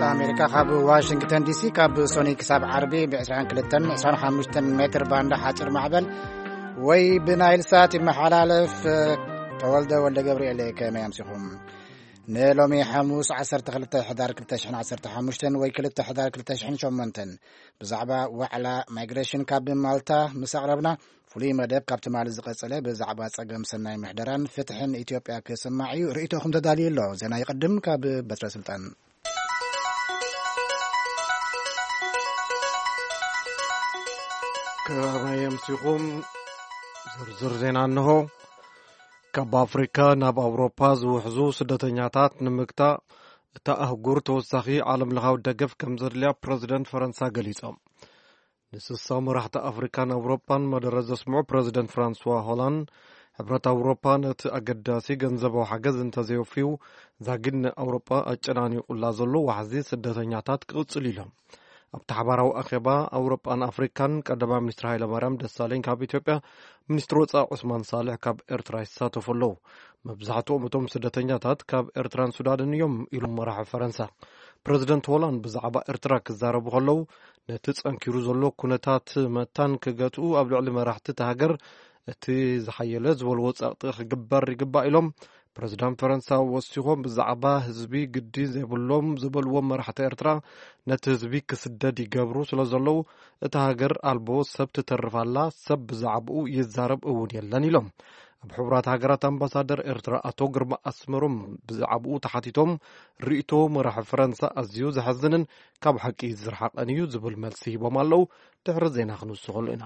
ኣሜሪካ ካብ ዋሽንግተን ዲሲ ካብ ሶኒ ክሳብ ዓርቢ ብ22 25 ሜትር ባንዳ ሓፂር ማዕበል ወይ ብናይል ሳት ይመሓላለፍ። ተወልደ ወልደ ገብርኤል፣ ከመይ ኣምሲኹም? ንሎሚ ሓሙስ 12 ሕዳር 2015 ወይ 2 ሕዳር 2008 ብዛዕባ ዋዕላ ማይግሬሽን ካብ ማልታ ምስ ኣቕረብና፣ ፍሉይ መደብ ካብ ትማሊ ዝቐጸለ ብዛዕባ ጸገም ሰናይ ምሕደራን ፍትሕን ኢትዮጵያ ክስማዕ እዩ። ርእይቶኹም ተዳልዩ ኣሎ። ዜና ይቕድም ካብ በትረ ስልጣን። ከመይ ኣምሲኹም? ዝርዝር ዜና እንሆ። ካብ ኣፍሪካ ናብ ኣውሮፓ ዝውሕዙ ስደተኛታት ንምግታእ፣ እታ ኣህጉር ተወሳኺ ዓለም ለኻዊ ደገፍ ከም ዘድልያ ፕረዚደንት ፈረንሳ ገሊጾም። ንስሳ መራሕቲ ኣፍሪካን ኣውሮፓን መደረ ዘስምዑ ፕረዚደንት ፍራንስዋ ሆላንድ፣ ሕብረት ኣውሮፓ ነቲ ኣገዳሲ ገንዘባዊ ሓገዝ እንተዘይወፍዩ፣ ዛጊድ ንኣውሮፓ ኣጨናኒቑላ ዘሎ ዋሕዚ ስደተኛታት ክቕጽል ኢሎም። ኣብቲ ሓባራዊ ኣኼባ ኣውሮጳን ኣፍሪካን፣ ቀዳማይ ሚኒስትር ሃይለማርያም ደሳለኝ ካብ ኢትዮጵያ፣ ሚኒስትር ወፃኢ ዑስማን ሳልሕ ካብ ኤርትራ ይሳተፉ ኣለዉ። መብዛሕትኦም እቶም ስደተኛታት ካብ ኤርትራን ሱዳንን እዮም ኢሉ መራሒ ፈረንሳ። ፕረዚደንት ሆላንድ ብዛዕባ ኤርትራ ክዛረቡ ከለዉ፣ ነቲ ጸንኪሩ ዘሎ ኩነታት መታን ክገትኡ ኣብ ልዕሊ መራሕቲ እቲ ሃገር እቲ ዝሓየለ ዝበልዎ ጸቕጢ ክግበር ይግባእ ኢሎም። ፕረዚዳንት ፈረንሳ ወሲኾም ብዛዕባ ህዝቢ ግዲ ዘይብሎም ዝበልዎም መራሕቲ ኤርትራ ነቲ ህዝቢ ክስደድ ይገብሩ ስለ ዘለዉ፣ እታ ሃገር ኣልቦ ሰብ ትተርፍ ኣላ፣ ሰብ ብዛዕባኡ ይዛረብ እውን የለን ኢሎም። ኣብ ሕቡራት ሃገራት ኣምባሳደር ኤርትራ ኣቶ ግርማ ኣስመሮም ብዛዕባኡ ተሓቲቶም፣ ርእይቶ መራሒ ፈረንሳ ኣዝዩ ዘሐዝንን ካብ ሓቂ ዝረሓቐን እዩ ዝብል መልሲ ሂቦም ኣለዉ። ድሕሪ ዜና ክንውስኸሉ ኢና።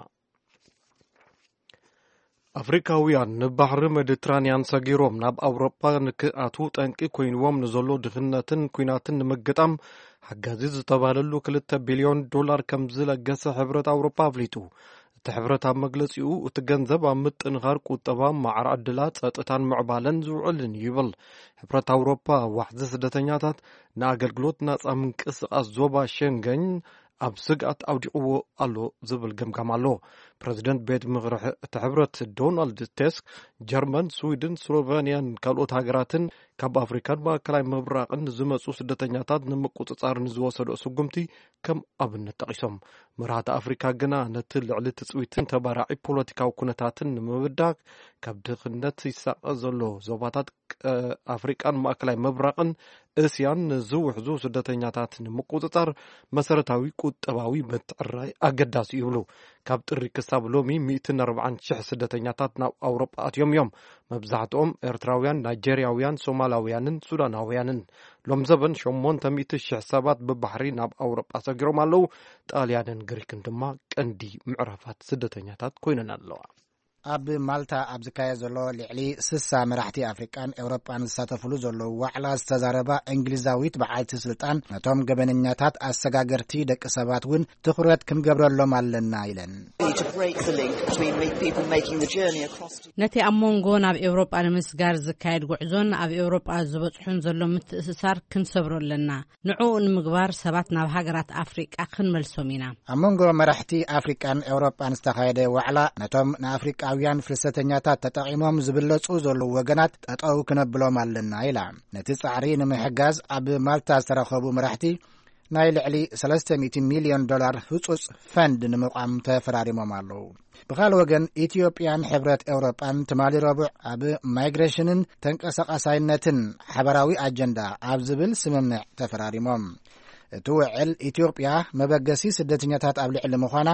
ኣፍሪካውያን ንባሕሪ ሜዲትራንያን ሰጊሮም ናብ ኣውሮጳ ንክኣትዉ ጠንቂ ኮይንዎም ንዘሎ ድኽነትን ኲናትን ንምግጣም ሓጋዚ ዝተባህለሉ 2 ቢልዮን ዶላር ከም ዝለገሰ ሕብረት ኣውሮጳ ኣፍሊጡ። እቲ ሕብረት ኣብ መግለጺኡ፣ እቲ ገንዘብ ኣብ ምጥንኻር ቁጠባ፣ ማዕረ ዕድላት፣ ጸጥታን ምዕባለን ዝውዕልን እዩ ይብል። ሕብረት ኣውሮጳ ዋሕዚ ስደተኛታት ንኣገልግሎት ናጻ ምንቅስቓስ ዞባ ሸንገን ኣብ ስግኣት ኣውዲቕዎ ኣሎ ዝብል ገምጋም ኣሎ። ፕረዚደንት ቤት ምኽሪ እቲ ሕብረት ዶናልድ ቴስክ፣ ጀርመን፣ ስዊድን፣ ስሎቨንያን ካልኦት ሃገራትን ካብ ኣፍሪካን ማእከላይ ምብራቕን ዝመጹ ስደተኛታት ንምቁጽጻር ንዝወሰዶ ስጉምቲ ከም ኣብነት ጠቒሶም። መራሕቲ ኣፍሪካ ግና ነቲ ልዕሊ ትጽቢትን ተባራዒ ፖለቲካዊ ኩነታትን ንምብዳግ ካብ ድኽነት ይሳቐ ዘሎ ዞባታት ቀ-፣ ኣፍሪቃን ማእከላይ ምብራቕን እስያን ንዝውሕዙ ስደተኛታት ንምቁጽጻር መሰረታዊ ቁጠባዊ ምትዕርራይ ኣገዳሲ ይብሉ። ካብ ጥሪ ክሳብ ሎሚ 140,000 ስደተኛታት ናብ ኣውሮጳ ኣትዮም እዮም። መብዛሕትኦም ኤርትራውያን፣ ናይጀርያውያን፣ ሶማላውያንን ሱዳናውያንን። ሎም ዘበን 800,000 ሰባት ብባሕሪ ናብ ኣውሮጳ ሰጊሮም ኣለዉ። ጣልያንን ግሪክን ድማ ቀንዲ ምዕራፋት ስደተኛታት ኮይነን ኣለዋ። ኣብ ማልታ ኣብ ዝካየድ ዘሎ ልዕሊ 60 መራሕቲ ኣፍሪቃን ኤውሮጳን ዝሳተፍሉ ዘለዉ ዋዕላ ዝተዛረባ እንግሊዛዊት በዓልቲ ስልጣን፣ ነቶም ገበነኛታት ኣሰጋገርቲ ደቂ ሰባት እውን ትኹረት ክንገብረሎም ኣለና ኢለን። We need to break the link between me- people making the journey across to ነቲ ኣብ መንጎ ናብ ኤውሮጳ ንምስጋር ዝካየድ ጉዕዞን ኣብ ኤውሮጳ ዝበጽሑን ዘሎ ምትእስሳር ክንሰብሮ ኣለና። ንዕኡ ንምግባር ሰባት ናብ ሃገራት ኣፍሪቃ ክንመልሶም ኢና። ኣብ መንጎ መራሕቲ ኣፍሪቃን ኤውሮጳን ዝተኻየደ ዋዕላ፣ ነቶም ንኣፍሪቃውያን ፍልሰተኛታት ተጠቒሞም ዝብለጹ ዘለዉ ወገናት ጠጠው ክነብሎም ኣለና ኢላ። ነቲ ጻዕሪ ንምሕጋዝ ኣብ ማልታ ዝተረኸቡ መራሕቲ ናይ ልዕሊ 300 ሚልዮን ዶላር ህጹጽ ፈንድ ንምቋም ተፈራሪሞም ኣለዉ። ብኻል ወገን፣ ኢትዮጵያን ሕብረት ኤውሮጳን ትማሊ ረቡዕ ኣብ ማይግሬሽንን ተንቀሳቓሳይነትን ሓበራዊ ኣጀንዳ ኣብ ዝብል ስምምዕ ተፈራሪሞም። እቲ ውዕል፣ ኢትዮጵያ መበገሲ ስደተኛታት ኣብ ልዕሊ ምዃና፣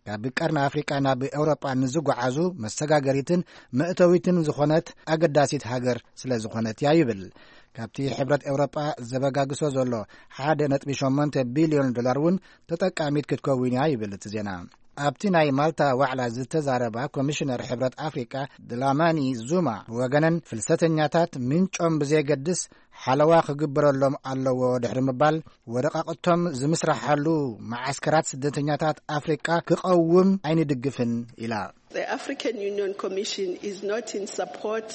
ካብ ቀርኒ ኣፍሪቃ ናብ ኤውሮጳ ንዝጓዓዙ መሰጋገሪትን መእተዊትን ዝኾነት ኣገዳሲት ሃገር ስለ ዝኾነት እያ ይብል። ካብቲ ሕብረት ኤውሮጳ ዘበጋግሶ ዘሎ 1.8 ቢልዮን ዶላር እውን ተጠቃሚት ክትከውን እያ ይብል እቲ ዜና። ኣብቲ ናይ ማልታ ዋዕላ ዝተዛረባ ኮሚሽነር ሕብረት ኣፍሪቃ ድላማኒ ዙማ ብወገነን፣ ፍልሰተኛታት ምንጮም ብዘየገድስ ሓለዋ ክግበረሎም ኣለዎ ድሕሪ ምባል፣ ወረቃቕቶም ዝምስራሓሉ መዓስከራት ስደተኛታት ኣፍሪቃ ክቐውም ኣይንድግፍን ኢላ። The African Union Commission is not in support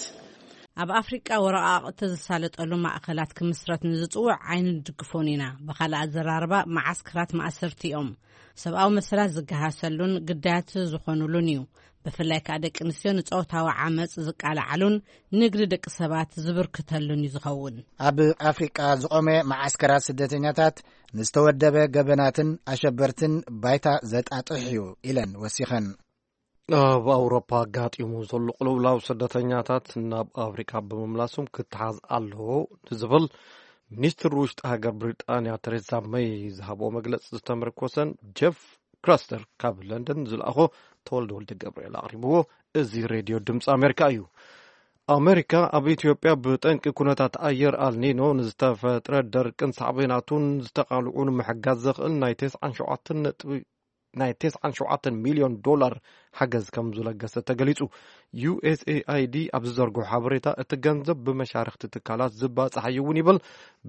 ኣብ ኣፍሪቃ ወረቓቕቲ ዝሳለጠሉ ማእኸላት ክምስረት ንዝጽውዕ ኣይንድግፎን ኢና። ብኻልእ ኣዘራርባ፣ መዓስከራት ማእሰርቲ እዮም። ሰብኣዊ መሰላት ዝገሃሰሉን ግዳያት ዝኾኑሉን እዩ። ብፍላይ ከኣ ደቂ ኣንስትዮ ንጾታዊ ዓመጽ ዝቃልዓሉን ንግዲ ደቂ ሰባት ዝብርክተሉን እዩ ዝኸውን። ኣብ ኣፍሪቃ ዝቖመ መዓስከራት ስደተኛታት ንዝተወደበ ገበናትን ኣሸበርትን ባይታ ዘጣጥሕ እዩ ኢለን ወሲኸን። ኣብ ኣውሮፓ ኣጋጢሙ ዘሎ ቅልውላው ስደተኛታት ናብ ኣፍሪቃ ብምምላሶም ክተሓዝ ኣለዎ ንዝብል ሚኒስትር ውሽጢ ሃገር ብሪጣንያ ተሬዛ መይ ዝሃብኦ መግለጺ ዝተመርኮሰን ጀፍ ክራስተር ካብ ለንደን ዝለኣኾ ተወልደ ወልደ ገብርኤል ኣቕሪብዎ። እዚ ሬድዮ ድምፂ ኣሜሪካ እዩ። ኣሜሪካ ኣብ ኢትዮጵያ ብጠንቂ ኩነታት ኣየር ኣልኒኖ ንዝተፈጥረ ደርቅን ሳዕቤናቱን ዝተቓልዑ ንምሕጋዝ ዘኽእል ናይ ተስዓን ሸውዓተን ነጥቢ ናይ ተስዓን ሸውዓተን ሚልዮን ዶላር ሓገዝ ከም ዝለገሰ ተገሊጹ። ዩ ኤስ ኤ ኣይ ዲ ኣብ ዝዘርግሖ ሓበሬታ፣ እቲ ገንዘብ ብመሻርኽቲ ትካላት ዝባጻሕ እዩ እውን ይብል።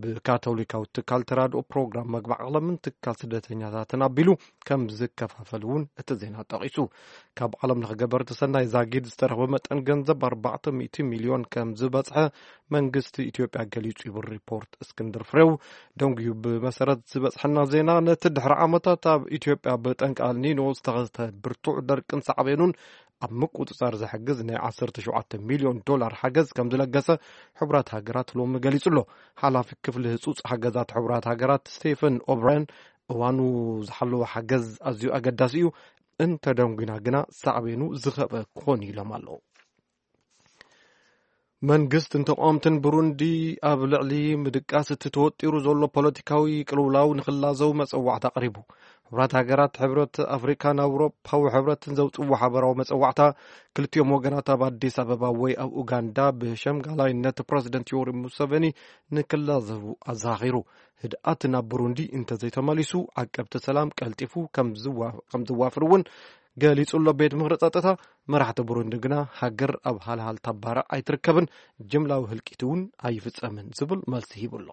ብካቶሊካዊ ትካል ተራድኦ ፕሮግራም መግቢ ዓለምን ትካል ስደተኛታትን ኣቢሉ ከም ዝከፋፈል እውን እቲ ዜና ጠቒሱ። ካብ ዓለም ለኸ ገበርቲ ሰናይ ዛጊድ ዝተረኽበ መጠን ገንዘብ ኣርባዕተ ሚእቲ ሚልዮን ከም ዝበጽሐ መንግስቲ ኢትዮጵያ ገሊጹ ይብል ሪፖርት እስክንድር ፍሬው። ደንጉዩ ብመሰረት ዝበጽሐና ዜና፣ ነቲ ድሕሪ ዓመታት ኣብ ኢትዮጵያ ብጠንቂ ኣልኒኖ ዝተኸስተ ብርቱዕ ደርቅን ሳዕቤኑን ኣብ ምቁጽጻር ዝሕግዝ ናይ ዓሰርተ ሸውዓተ ሚልዮን ዶላር ሓገዝ ከም ዝለገሰ ሕቡራት ሃገራት ሎሚ ገሊጹ ኣሎ። ሓላፊ ክፍሊ ህጹጽ ሓገዛት ሕቡራት ሃገራት ስቴፈን ኦብራያን፣ እዋኑ ዝሓለወ ሓገዝ ኣዝዩ ኣገዳሲ እዩ፣ እንተደንጉና ግና ሳዕቤኑ ዝኸበ ክኾን እዩ ኢሎም ኣለዉ። መንግስትን ተቃወምትን ብሩንዲ ኣብ ልዕሊ ምድቃስ እቲ ተወጢሩ ዘሎ ፖለቲካዊ ቅልውላው ንኽላዘው መጸዋዕታ ኣቕሪቡ። ሕቡራት ሃገራት፣ ሕብረት ኣፍሪካን ኣውሮፓዊ ሕብረትን ዘውጽዎ ሓበራዊ መጸዋዕታ፣ ክልቲኦም ወገናት ኣብ ኣዲስ ኣበባ ወይ ኣብ ኡጋንዳ ብሸምጋላይነት ፕረዚደንት ዮወሪ ሙሰቨኒ ንክላዘቡ ኣዘኻኺሩ። ህድኣት ናብ ብሩንዲ እንተዘይተመሊሱ፣ ዓቀብቲ ሰላም ቀልጢፉ ከም ዝዋ-፣ ከም ዝዋፍር እውን ገሊጹ ኣሎ። ቤት ምኽሪ ጸጥታ፣ መራሕቲ ብሩንዲ ግና ሃገር ኣብ ሃልሃልታ ባርዕ ኣይትርከብን፣ ጅምላዊ ህልቂት እውን ኣይፍጸምን ዝብል መልሲ ሂቡ ኣሎ።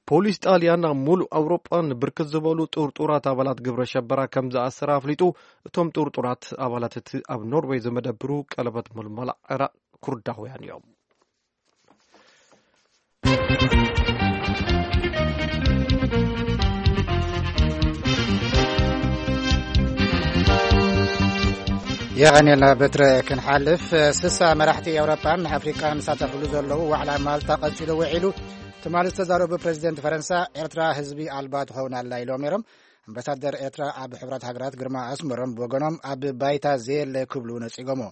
ፖሊስ ጣልያን ኣብ ሙሉእ ኣውሮጳ ንብርክት ዝበሉ ጥርጡራት ኣባላት ግብረ ሸበራ ከም ዝኣሰረ ኣፍሊጡ። እቶም ጥርጡራት ኣባላት እቲ ኣብ ኖርዌይ ዝመደብሩ ቀለበት ምልመላ ዕራቕ ኩርዳውያን እዮም። የቐንየልና በትረ። ክንሓልፍ፣ ስሳ መራሕቲ ኤውሮጳን ኣፍሪቃን ዝሳተፍሉ ዘለዉ ዋዕላ ማልታ ቀጺሉ ውዒሉ። ትማሊ ዝተዛረቡ ፕረዚደንት ፈረንሳ፣ ኤርትራ ህዝቢ ኣልባ ትኸውን ኣላ ኢሎም ነይሮም። ኣምባሳደር ኤርትራ ኣብ ሕብረት ሃገራት ግርማ ኣስመሮም ብወገኖም፣ ኣብ ባይታ ዘየለ ክብሉ ነጺጎሞ።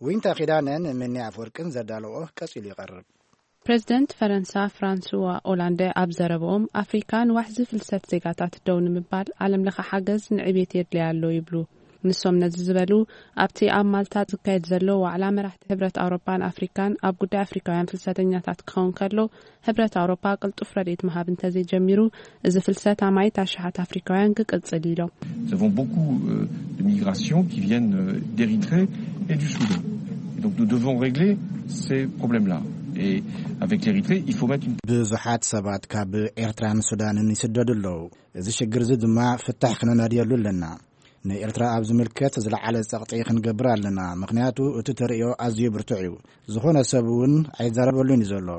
ዊንታ ኪዳነን ምኒ ኣፍወርቅን ዘዳለዎ ቀጺሉ ይቐርብ። ፕረዚደንት ፈረንሳ ፍራንስዋ ኦላንደ ኣብ ዘረብኦም፣ ኣፍሪካ ንዋሕዚ ፍልሰት ዜጋታት ደው ንምባል ዓለም ለኸ ሓገዝ ንዕቤት የድልያ ኣሎ ይብሉ። ንሶም ነዚ ዝበሉ፣ ኣብቲ ኣብ ማልታ ዝካየድ ዘሎ ዋዕላ መራሕቲ ሕብረት ኣውሮፓን ኣፍሪካን ኣብ ጉዳይ ኣፍሪካውያን ፍልሰተኛታት ክኸውን ከሎ፣ ሕብረት ኣውሮፓ ቅልጡፍ ረድኤት ምሃብ እንተዘይጀሚሩ፣ እዚ ፍልሰት ኣማኢት ኣሽሓት ኣፍሪካውያን ክቅጽል ኢሎም። Nous avons beaucoup euh, de migrations qui viennent euh, d'Érythrée et du Soudan. Et donc nous devons régler ces problèmes-là. Et avec l'Érythrée, il faut mettre une... ብዙሓት ሰባት ካብ ኤርትራን ሱዳንን ይስደዱ ኣለዉ። እዚ ሽግር እዚ ድማ ፍታሕ ክነናድየሉ ኣለና። ንኤርትራ ኣብ ዝምልከት ዝለዓለ ጸቕጢ ክንገብር ኣለና፣ ምኽንያቱ እቲ ተርእዮ ኣዝዩ ብርቱዕ እዩ። ዝኾነ ሰብ እውን ኣይዛረበሉን እዩ ዘሎ።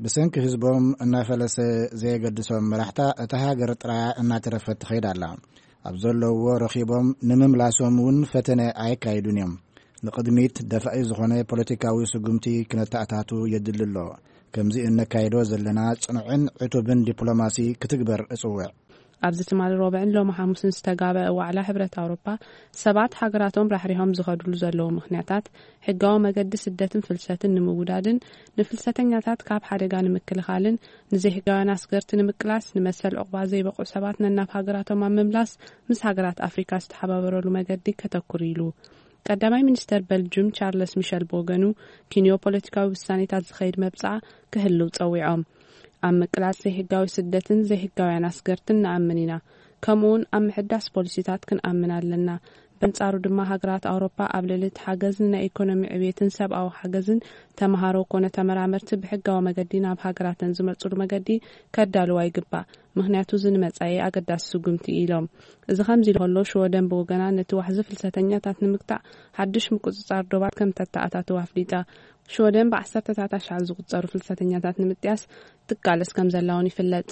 ብሰንኪ ህዝቦም እናፈለሰ ዘየገድሶም መራሕታ፣ እታ ሃገር ጥራያ እናተረፈት ትኸይድ ኣላ። ኣብ ዘለውዎ ረኺቦም ንምምላሶም እውን ፈተነ ኣየካይዱን እዮም። ንቕድሚት ደፋኢ ዝኾነ ፖለቲካዊ ስጉምቲ ክነተኣታቱ የድሊ ኣሎ። ከምዚ እነካይዶ ዘለና ጽኑዕን ዕቱብን ዲፕሎማሲ ክትግበር እጽውዕ። ኣብዚ ትማሊ ሮብዕን ሎሚ ሓሙስን ዝተጋበአ ዋዕላ ሕብረት ኣውሮፓ፣ ሰባት ሃገራቶም ራሕሪሖም ዝኸድሉ ዘለዉ ምኽንያታት፣ ሕጋዊ መገዲ ስደትን ፍልሰትን ንምውዳድን ንፍልሰተኛታት ካብ ሓደጋ ንምክልኻልን ንዘይሕጋውያን ኣስገርቲ ንምቅላስ፣ ንመሰል ዑቕባ ዘይበቕዑ ሰባት ነናብ ሃገራቶም ኣብ ምምላስ ምስ ሃገራት ኣፍሪካ ዝተሓባበረሉ መገዲ ከተኩር ኢሉ። ቀዳማይ ሚኒስተር በልጁም ቻርለስ ሚሸል ብወገኑ፣ ኪንዮ ፖለቲካዊ ውሳኔታት ዝኸይድ መብጽዓ ክህልው ጸዊዖም። ኣብ ምቅላስ ዘይሕጋዊ ስደትን ዘይሕጋውያን ኣስገርትን ንኣምን ኢና። ከምኡውን ኣብ ምሕዳስ ፖሊሲታት ክንኣምን ኣለና። በንጻሩ ድማ ሃገራት ኣውሮፓ ኣብ ልዕሊ እቲ ሓገዝን ናይ ኢኮኖሚ ዕብየትን ሰብኣዊ ሓገዝን ተምሃሮ ኮነ ተመራመርቲ ብሕጋዊ መገዲ ናብ ሃገራተን ዝመጽሉ መገዲ ከዳልዋ ይግባእ። ምኽንያቱ እዚ ንመጻኢ ኣገዳሲ ስጉምቲ እዩ ኢሎም። እዚ ከምዚ ኢሉ ከሎ ሽወደን ብወገና ነቲ ዋሕዚ ፍልሰተኛታት ንምግታእ ሓድሽ ምቁጽጻር ዶባት ከም ተተኣታተወ ኣፍሊጣ። ሽወደን ብዓሰርተታት ኣሽሓት ዝቑጸሩ ፍልሰተኛታት ንምጥያስ ትቃለስ ከም ዘላ እውን ይፍለጥ።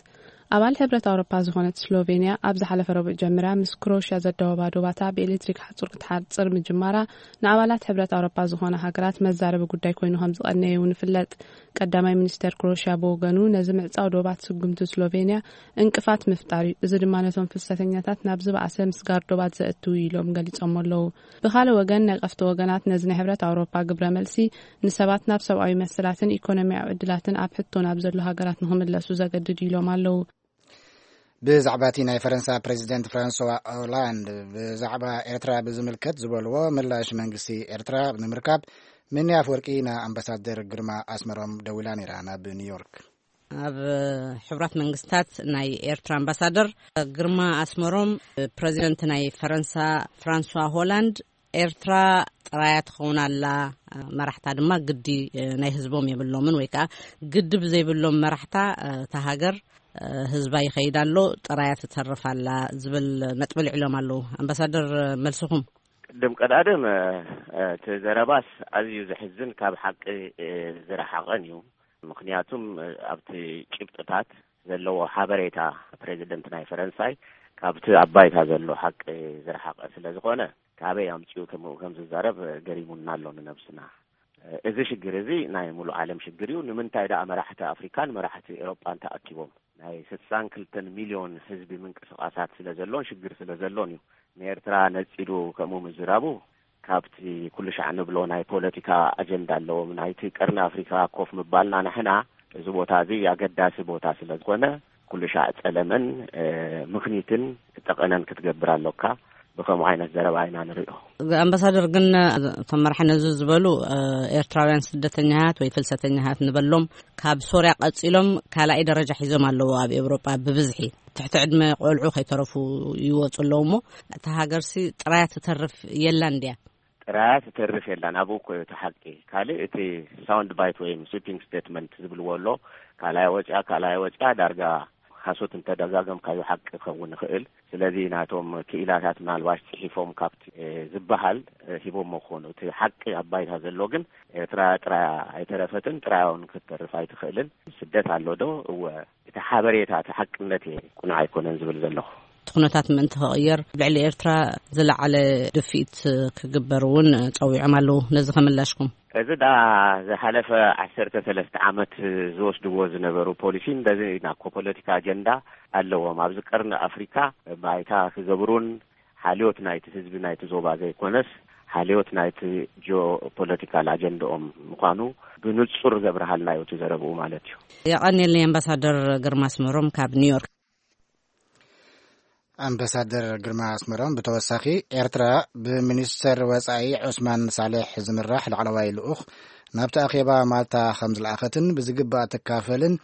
ኣባል ሕብረት ኣውሮፓ ዝኾነት ስሎቬንያ ኣብ ዝሓለፈ ረቡዕ ጀሚራ ምስ ክሮሽያ ዘዳወባ ዶባታ ብኤሌክትሪክ ሓጹር ክትሓጽር ምጅማራ ንኣባላት ሕብረት ኣውሮፓ ዝኾና ሃገራት መዛረቢ ጉዳይ ኮይኑ ከም ዝቐነየ እውን ይፍለጥ። ቀዳማይ ሚኒስተር ክሮሽያ ብወገኑ ነዚ ምዕጻው ዶባት ስጉምቲ ስሎቬንያ እንቅፋት ምፍጣር እዩ። እዚ ድማ ነቶም ፍልሰተኛታት ናብ ዝበኣሰ ምስጋር ዶባት ዘእትው እዩ ኢሎም ገሊጾሞ ኣለዉ። ብኻልእ ወገን ነቀፍቲ ወገናት ነዚ ናይ ሕብረት ኣውሮፓ ግብረ መልሲ ንሰባት ናብ ሰብኣዊ መሰላትን ኢኮኖሚያዊ ዕድላትን ኣብ ሕቶ ናብ ዘሎ ሃገራት ንኽምለሱ ዘገድድ ኢሎም ኣለዉ። ብዛዕባ እቲ ናይ ፈረንሳ ፕሬዚደንት ፍራንስዋ ኦላንድ ብዛዕባ ኤርትራ ብዝምልከት ዝበልዎ ምላሽ መንግስቲ ኤርትራ ንምርካብ ምኒ ኣፍወርቂ ንኣምባሳደር ግርማ ኣስመሮም ደዊላ ነይራ ናብ ኒውዮርክ። ኣብ ሕቡራት መንግስታት ናይ ኤርትራ ኣምባሳደር ግርማ ኣስመሮም፣ ፕሬዚደንት ናይ ፈረንሳ ፍራንስዋ ሆላንድ፣ ኤርትራ ጥራያ ትኸውን ኣላ፣ መራሕታ ድማ ግዲ ናይ ህዝቦም የብሎምን፣ ወይ ከዓ ግዲ ብዘይብሎም መራሕታ እታ ሃገር ህዝባ ይኸይድ ኣሎ፣ ጥራያ ትተርፍ ኣላ ዝብል ነጥቢ ልዕሎም ኣለዉ። ኣምባሳደር፣ መልስኹም? ቅድም ቀዳድም እቲ ዘረባስ ኣዝዩ ዘሕዝን ካብ ሓቂ ዝረሓቐን እዩ። ምኽንያቱም ኣብቲ ጭብጥታት ዘለዎ ሓበሬታ ፕሬዚደንት ናይ ፈረንሳይ ካብቲ ኣብ ባይታ ዘሎ ሓቂ ዝረሓቐ ስለ ዝኾነ፣ ካበይ ኣምጺኡ ከምኡ ከም ዝዛረብ ገሪሙና ኣሎ ንነብስና። እዚ ሽግር እዚ ናይ ሙሉእ ዓለም ሽግር እዩ። ንምንታይ ደኣ መራሕቲ ኣፍሪካን መራሕቲ ኤውሮጳን ተኣኪቦም? ናይ ስሳን ክልተን ሚልዮን ህዝቢ ምንቅስቓሳት ስለ ዘሎን ሽግር ስለ ዘሎን እዩ። ንኤርትራ ነጺሉ ከምኡ ምዝራቡ ካብቲ ኩሉ ሻዕ ንብሎ ናይ ፖለቲካ ኣጀንዳ ኣለዎም። ናይቲ ቀርኒ ኣፍሪካ ኮፍ ምባልና ንሕና እዚ ቦታ እዚ ኣገዳሲ ቦታ ስለ ዝኾነ ኩሉ ሻዕ ጸለመን ምኽኒትን ጠቐነን ክትገብር ኣሎካ። ብኸምኡ ዓይነት ዘረባ ኢና ንሪኦ። ኣምባሳደር፣ ግን እቶም መራሒ ነዚ ዝበሉ ኤርትራውያን ስደተኛታት ወይ ፍልሰተኛታት ንበሎም ካብ ሶርያ ቀጺሎም ካልኣይ ደረጃ ሒዞም ኣለዉ ኣብ ኤውሮጳ ብብዝሒ። ትሕቲ ዕድመ ቆልዑ ከይተረፉ ይወጹ ኣለዉ እሞ እታ ሃገርሲ ጥራያ ትተርፍ የላን ድያ? ጥራያ ትተርፍ የላን። ኣብኡ እኮ እቲ ሓቂ። ካልእ እቲ ሳውንድ ባይት ወይም ስዊፒንግ ስቴትመንት ዝብልዎ ኣሎ። ካልኣይ ወፅያ፣ ካልኣይ ወፅያ ዳርጋ ሓሶት እንተደጋገምካዮ ሓቂ ክኸውን ይኽእል። ስለዚ ናቶም ክኢላታት ምናልባሽ ፅሒፎም ካብቲ ዝበሃል ሂቦሞ ክኾኑ። እቲ ሓቂ ኣብ ባይታ ዘሎ ግን ኤርትራ ጥራያ ኣይተረፈትን፣ ጥራያ እውን ክትተርፍ ኣይትኽእልን። ስደት ኣሎ ዶ? እወ። እቲ ሓበሬታ እቲ ሓቅነት እየ ቁኑዕ ኣይኮነን ዝብል ዘለኹ። እቲ ኩነታት ምእንቲ ክቕየር ብልዕሊ ኤርትራ ዝለዓለ ድፍኢት ክግበር እውን ጸዊዖም ኣለዉ። ነዚ ከምላሽኩም? እዚ ዳ ዝሓለፈ ዓሰርተ ሰለስተ ዓመት ዝወስድዎ ዝነበሩ ፖሊሲ እንደዚ ናኮ ፖለቲካ ኣጀንዳ ኣለዎም። ኣብዚ ቀርኒ ኣፍሪካ ባይታ ክገብሩን ሓልዮት ናይቲ ህዝቢ ናይቲ ዞባ ዘይኮነስ ሓልዮት ናይቲ ጂኦፖለቲካል ኣጀንዳኦም ምዃኑ ብንጹር ዘብርሃልና እዩ እቲ ዘረብኡ ማለት እዩ። የቐንየለይ ኣምባሳደር ግርማ ኣስመሮም ካብ ኒውዮርክ። ኣምባሳደር ግርማ ኣስመሮም ብተወሳኺ ኤርትራ ብሚኒስተር ወጻኢ ዑስማን ሳልሕ ዝምራሕ ላዕለዋይ ልኡኽ ናብቲ ኣኼባ ማልታ ከም ዝለኣኸትን ብዝግባእ ትካፈልን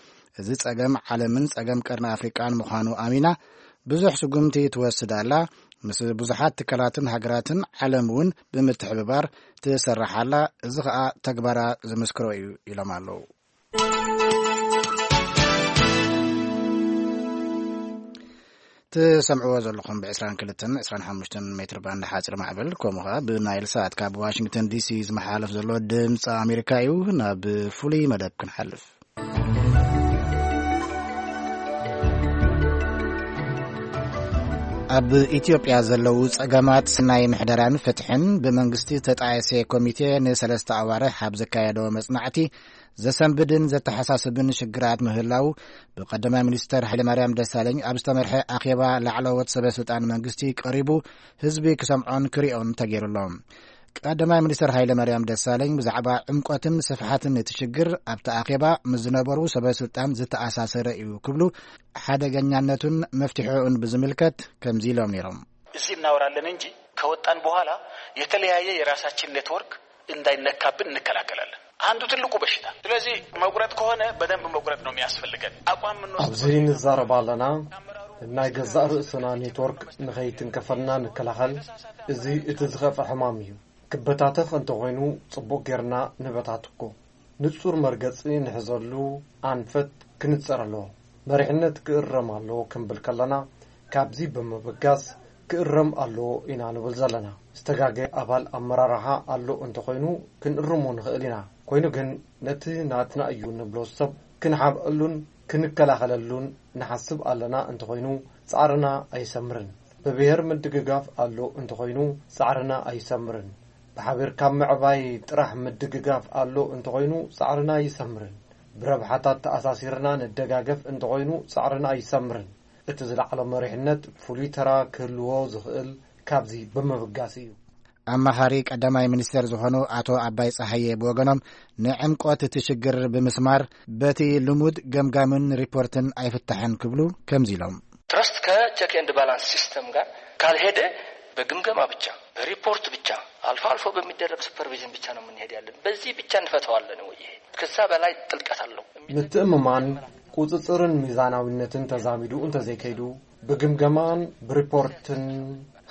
እዚ ጸገም ዓለምን ጸገም ቀርኒ ኣፍሪቃን ምዃኑ ኣሚና ብዙሕ ስጉምቲ ትወስድ ኣላ። ምስ ብዙሓት ትካላትን ሃገራትን ዓለም እውን ብምትሕብባር ትሰርሕ ኣላ። እዚ ኸኣ ተግባራ ዝምስክሮ እዩ ኢሎም ኣለዉ። ትሰምዕዎ ዘለኹም ብ22 25 ሜትር ባንድ ሓፂር ማዕበል ከምኡ ኸዓ ብናይል ሳት ካብ ዋሽንግተን ዲሲ ዝመሓላለፍ ዘሎ ድምፂ ኣሜሪካ እዩ። ናብ ፍሉይ መደብ ክንሓልፍ። ኣብ ኢትዮጵያ ዘለዉ ጸገማት ናይ ምሕደራን ፍትሕን ብመንግስቲ ተጣየሰ ኮሚቴ ንሰለስተ ኣዋርሕ ኣብ ዘካየዶ መጽናዕቲ ዘሰንብድን ዘተሓሳስብን ሽግራት ምህላው ብቀዳማይ ሚኒስተር ሃይለማርያም ደሳለኝ ኣብ ዝተመርሐ ኣኼባ ላዕለዎት ሰበ ስልጣን መንግስቲ ቀሪቡ ህዝቢ ክሰምዖን ክሪኦን ተገይሩሎም። ቀዳማይ ሚኒስተር ሃይለማርያም ደሳለኝ ብዛዕባ ዕምቆትን ስፍሓትን እቲ ሽግር ኣብቲ ኣኼባ ምስ ዝነበሩ ሰበ ስልጣን ዝተኣሳሰረ እዩ ክብሉ ሓደገኛነቱን መፍትሒኡን ብዝምልከት ከምዚ ኢሎም ነይሮም። እዚህ እናወራለን እንጂ ከወጣን በኋላ የተለያየ የራሳችን ኔትወርክ እንዳይነካብን እንከላከላለን። አንዱ ትልቁ በሽታ። ስለዚህ መቁረጥ ከሆነ በደንብ መቁረጥ ነው የሚያስፈልገን። አቋም የምንወስድ ኣብዚ ንዛረብ ኣለና። ናይ ገዛእ ርእስና ኔትወርክ ንኸይትንከፈልና ንከላኸል። እዚ እቲ ዝኸፍአ ሕማም እዩ። ክበታተኽ እንተኾይኑ ጽቡቕ ጌርና ንበታትኮ። ንጹር መርገጺ ንሕዘሉ ኣንፈት ክንጸር ኣለዎ። መሪሕነት ክእረም ኣለዎ ክንብል ከለና፣ ካብዚ ብምብጋስ ክእረም ኣለዎ ኢና ንብል ዘለና። ዝተጋገየ ኣባል ኣመራርሓ ኣሎ እንተኾይኑ ክንእርሞ ንኽእል ኢና። ኮይኑ ግን ነቲ ናትና እዩ ንብሎ ሰብ ክንሓብአሉን ክንከላኸለሉን ንሓስብ ኣለና እንተኾይኑ ጻዕርና ኣይሰምርን። ብብሔር ምድግጋፍ ኣሎ እንተኾይኑ ጻዕርና ኣይሰምርን። ብሓቢርካ ምዕባይ ጥራሕ ምድግጋፍ ኣሎ እንተኾይኑ ጻዕርና ኣይሰምርን። ብረብሓታት ተኣሳሲርና ንደጋገፍ እንተኾይኑ ጻዕርና ኣይሰምርን። እቲ ዝለዓለ መሪሕነት ፍሉይ ተራ ክህልዎ ዝኽእል ካብዚ ብምብጋስ እዩ። ኣማኻሪ ቀዳማይ ሚኒስቴር ዝኾኑ ኣቶ ኣባይ ጸሃየ ብወገኖም፣ ንዕምቆት እቲ ሽግር ብምስማር በቲ ልሙድ ገምጋምን ሪፖርትን ኣይፍታሕን ክብሉ ከምዚ ኢሎም። ትረስት ከቸክ ኤንድ ባላንስ ሲስተም ጋር ካልሄደ በግምገማ ብቻ፣ በሪፖርት ብቻ፣ አልፎ አልፎ በሚደረግ ሱፐርቪዥን ብቻ ነው የምንሄድ ያለን። በዚህ ብቻ እንፈተዋለን ወይ? ይሄ ከዛ በላይ ጥልቀት አለው። ምትእምማን፣ ቁጽጽርን ሚዛናዊነትን ተዛሚዱ እንተዘይከይዱ፣ ብግምገማን ብሪፖርትን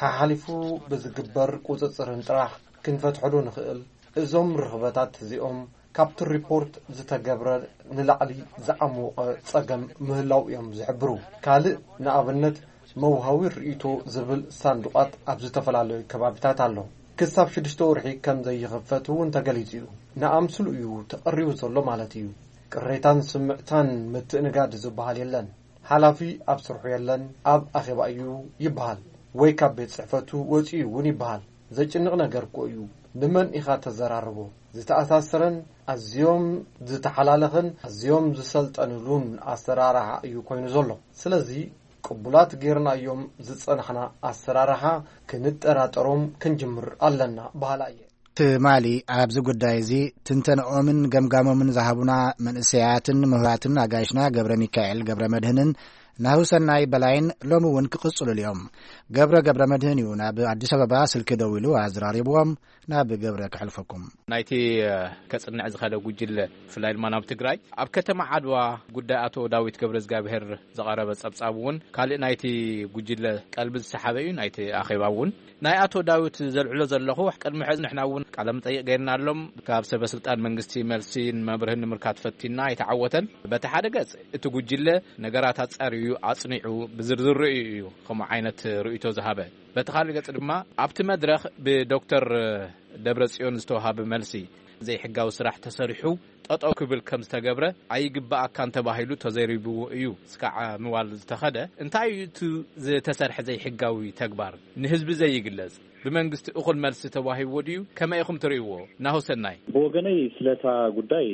ሓሓሊፉ ብዝግበር ቁጽጽርን ጥራሕ ክንፈትሐሉ ንኽእል። እዞም ርኽበታት እዚኦም ካብቲ ሪፖርት ዝተገብረ ንላዕሊ ዝዓሞቐ ጸገም ምህላው እዮም ዝሕብሩ። ካልእ ንኣብነት መውሃዊ ርእይቶ ዝብል ሳንዱቓት ኣብ ዝተፈላለዩ ከባቢታት ኣሎ። ክሳብ ሽዱሽተ ወርሒ ከም ዘይኽፈት እውን ተገሊጹ እዩ። ንኣምስሉ እዩ ተቐሪቡ ዘሎ ማለት እዩ። ቅሬታን ስምዕታን ምትእንጋድ ዝበሃል የለን። ሓላፊ ኣብ ስርሑ የለን፣ ኣብ ኣኼባ እዩ ይበሃል፣ ወይ ካብ ቤት ጽሕፈቱ ወጺኡ እውን ይበሃል። ዘጭንቕ ነገር እኮ እዩ። ንመን ኢኻ ተዘራርቦ? ዝተኣሳሰረን ኣዝዮም ዝተሓላለኸን ኣዝዮም ዝሰልጠንሉን ኣሰራርሓ እዩ ኮይኑ ዘሎ። ስለዚ ቅቡላት ጌርናዮም ዝጸናሕና ኣሰራርሓ ክንጠራጠሮም ክንጅምር ኣለና በሃላ እየ። ትማሊ ኣብዚ ጉዳይ እዚ ትንተንኦምን ገምጋሞምን ዝሃቡና መንእሰያትን ምሁራትን ኣጋይሽና ገብረ ሚካኤል ገብረ መድህንን ናሁሰናይ በላይን ሎሚ እውን ክቕጽሉሉ እዮም። ገብረ ገብረ መድህን እዩ ናብ ኣዲስ ኣበባ ስልኪ ደዊሉ ኣዘራሪብዎም። ናብ ገብረ ከሕልፈኩም። ናይቲ ከጽንዕ ዝኸለ ጉጅለ፣ ብፍላይ ድማ ናብ ትግራይ፣ ኣብ ከተማ ዓድዋ ጉዳይ ኣቶ ዳዊት ገብረ እግዚኣብሔር ዝቐረበ ጸብጻብ እውን ካልእ ናይቲ ጉጅለ ቀልቢ ዝሰሓበ እዩ። ናይቲ ኣኼባ እውን ናይ ኣቶ ዳዊት ዘልዕሎ ዘለኹ፣ ቅድሚ ሕዚ ንሕና እውን ቃለ መጠይቕ ገይርናሎም፣ ካብ ሰበ ስልጣን መንግስቲ መልሲ ንመብርህን ንምርካት ፈቲና ኣይተዓወተን። በቲ ሓደ ገጽ እቲ ጉጅለ ነገራት ኣጻርዩ ኣጽኒዑ ብዝርዝር ርእዩ እዩ ከምኡ ዓይነት ርእይቶ ዝሃበ። በቲ ካልእ ገጽ ድማ ኣብቲ መድረኽ ብዶክተር ደብረጽዮን ዝተዋሃበ መልሲ፣ ዘይሕጋዊ ስራሕ ተሰሪሑ ጠጠው ክብል ከም ዝተገብረ ኣይግባኣካን ተባሂሉ ተዘሪብዎ እዩ እስካዕ ምባል ዝተኸደ። እንታይ እዩ እቲ ዝተሰርሐ ዘይሕጋዊ ተግባር? ንህዝቢ ዘይግለጽ፣ ብመንግስቲ እኹል መልሲ ተዋሂብዎ ድዩ? ከመይ ኢኹም ትርእይዎ? ናሆ ሰናይ። ብወገነይ ስለታ ጉዳይ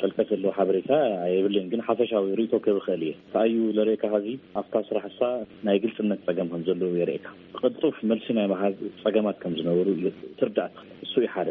ጥልቀት ዘለዎ ሓበሬታ የብለይን፣ ግን ሓፈሻዊ ርእይቶ ክህብ እኽእል እየ። እንታይ እዩ ለርእየካ፣ ሀዚ ኣብታ ስራሕ እሳ ናይ ግልጽነት ጸገም ከም ዘለዎ የርእየካ። ብቕልጡፍ መልሲ ናይ ምሃብ ጸገማት ከም ዝነበሩ እዩ ትርዳእ ትኽእል። እሱ እዩ ሓደ።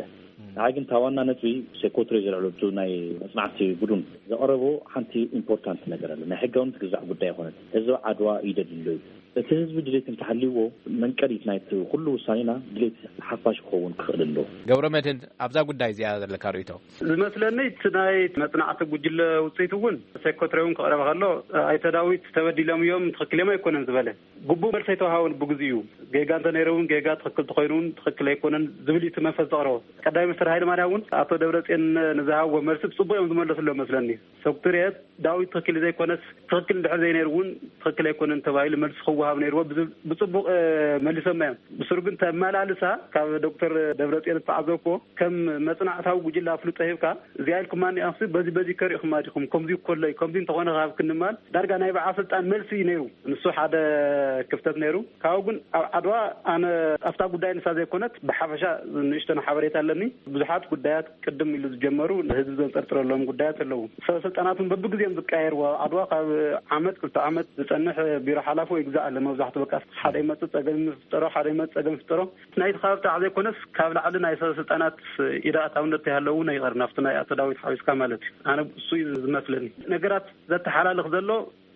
ንዓይ ግን እታ ዋና ነጥቢ ሴኮትሪ ዘልዕለቱ ናይ መጽናዕቲ ቡዱን ዘቕረቦ ሓንቲ ኢምፖርታንት ነገር ኣለ። ናይ ሕጋውነት ግዛዕ ጉዳይ ኣይኮነትን። ህዝቢ ዓድዋ እዩ ደልዩ ኣሎ እዩ። እቲ ህዝቢ ድሌት እንተሃልይዎ መንቀሊት ናይቲ ኩሉ ውሳኔና ድሌት ሓፋሽ ክኸውን ክኽእል ኣለዎ። ገብረ መድህን፣ ኣብዛ ጉዳይ እዚኣ ዘለካ ርእይቶ? ዝመስለኒ እቲ ናይ መጽናዕቲ ጉጅለ ውጽኢት እውን ሴኮትሪ እውን ክቕረበ ከሎ ኣይተ ዳዊት ተበዲሎም እዮም፣ ትኽክል እዮም ኣይኮነን ዝበለ ግቡእ መልሲ ኣይተዋሃቦን ብግዚኡ። ጌጋ እንተ ነይሩ እውን ጌጋ፣ ትኽክል ተኾይኑ እውን ትኽክል ኣይኮነን ዝብል እዩ እቲ መንፈስ ዘቕረቦ። ቀዳማይ ሚኒስትር ሃይለ ማርያም እውን ኣቶ ደብረጽዮን ንዝሃብዎ መልሲ ብጽቡቕ እዮም ዝመለስሉ መስለኒ። ሶክትርየት ዳዊት ትኽክል ዘይኮነስ ትኽክል እንድሕር ዘይነይሩ እውን ትኽክል ኣይኮነን ተባሂሉ መልሲ ክወሃብ ነይርዎ ብዝብል ብጽቡቕ፣ እ፣ መሊሶም እዮም። ብስሩ ግን ተመላልሳ ካብ ዶክተር ደብረጽዮን ዝተዓዘብኩዎ ከም መጽናዕታዊ ጉጅለ ኣፍልጦ ሂብካ እዚኣ ኢልኩማ እኒኣኹሲ በዚ በዚ ከሪእኹማ ዲኹም? ከምዚ እኮ ኣሎ እዩ፣ ከምዚ እንተኾነ ክሃብክኒ ምባል ዳርጋ ናይ በዓል ስልጣን መልሲ እዩ ነይሩ። ንሱ ሓደ ክፍተት ነይሩ። ካብኡ ግን ኣብ ዓድዋ ኣነ ኣብታ ጉዳይ ንሳ ዘይኮነት ብሓፈሻ ንእሽተን ሓበሬታ ኣለኒ። ብዙሓት ጉዳያት ቅድም ኢሉ ዝጀመሩ ንህዝቢ ዘንጠርጥረሎም ጉዳያት ኣለዉ። ሰበ ስልጣናት እውን በብግዜኦም ዝቀያየርዎ ኣብ ዓድዋ ካብ ዓመት ክልተ ዓመት ዝጸንሕ ቢሮ ሓላፊ ወይ ግዛእ ኣለ። መብዛሕትኡ በቃ ሓደ ይመጽእ ጸገም ይፍጠሮ፣ ሓደ ይመጽእ ጸገም ይፍጠሮ። ናይቲ ከባቢ ጥራሕ ዘይኮነስ ካብ ላዕሊ ናይ ሰበ ስልጣናት ኢድ ኣእታውነት ይሃለዉ እውን ኣይቐርን፣ ኣብቲ ናይ ኣቶ ዳዊት ሓዊስካ ማለት እዩ። ኣነ እሱ እዩ ዝመስለኒ። ነገራት ዘተሓላልኽ ዘሎ